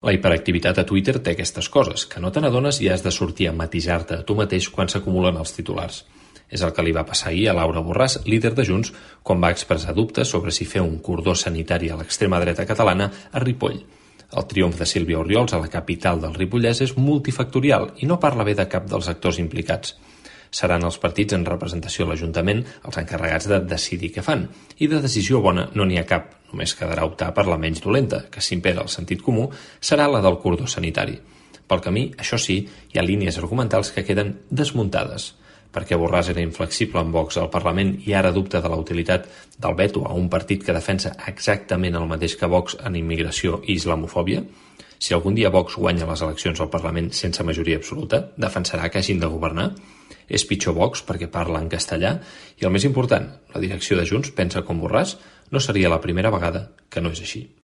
La hiperactivitat a Twitter té aquestes coses, que no te n'adones i has de sortir a matisar-te a tu mateix quan s'acumulen els titulars. És el que li va passar ahir a Laura Borràs, líder de Junts, quan va expressar dubtes sobre si fer un cordó sanitari a l'extrema dreta catalana a Ripoll. El triomf de Sílvia Orriols a la capital del Ripollès és multifactorial i no parla bé de cap dels actors implicats. Seran els partits en representació a l'Ajuntament els encarregats de decidir què fan, i de decisió bona no n'hi ha cap, només quedarà optar per la menys dolenta, que si impera el sentit comú serà la del cordó sanitari. Pel camí, això sí, hi ha línies argumentals que queden desmuntades. Perquè Borràs era inflexible amb Vox al Parlament i ara dubta de la utilitat del veto a un partit que defensa exactament el mateix que Vox en immigració i islamofòbia? Si algun dia Vox guanya les eleccions al Parlament sense majoria absoluta, defensarà que hagin de governar? És pitjor Vox perquè parla en castellà? I el més important, la direcció de Junts pensa com Borràs? No seria la primera vegada que no és així.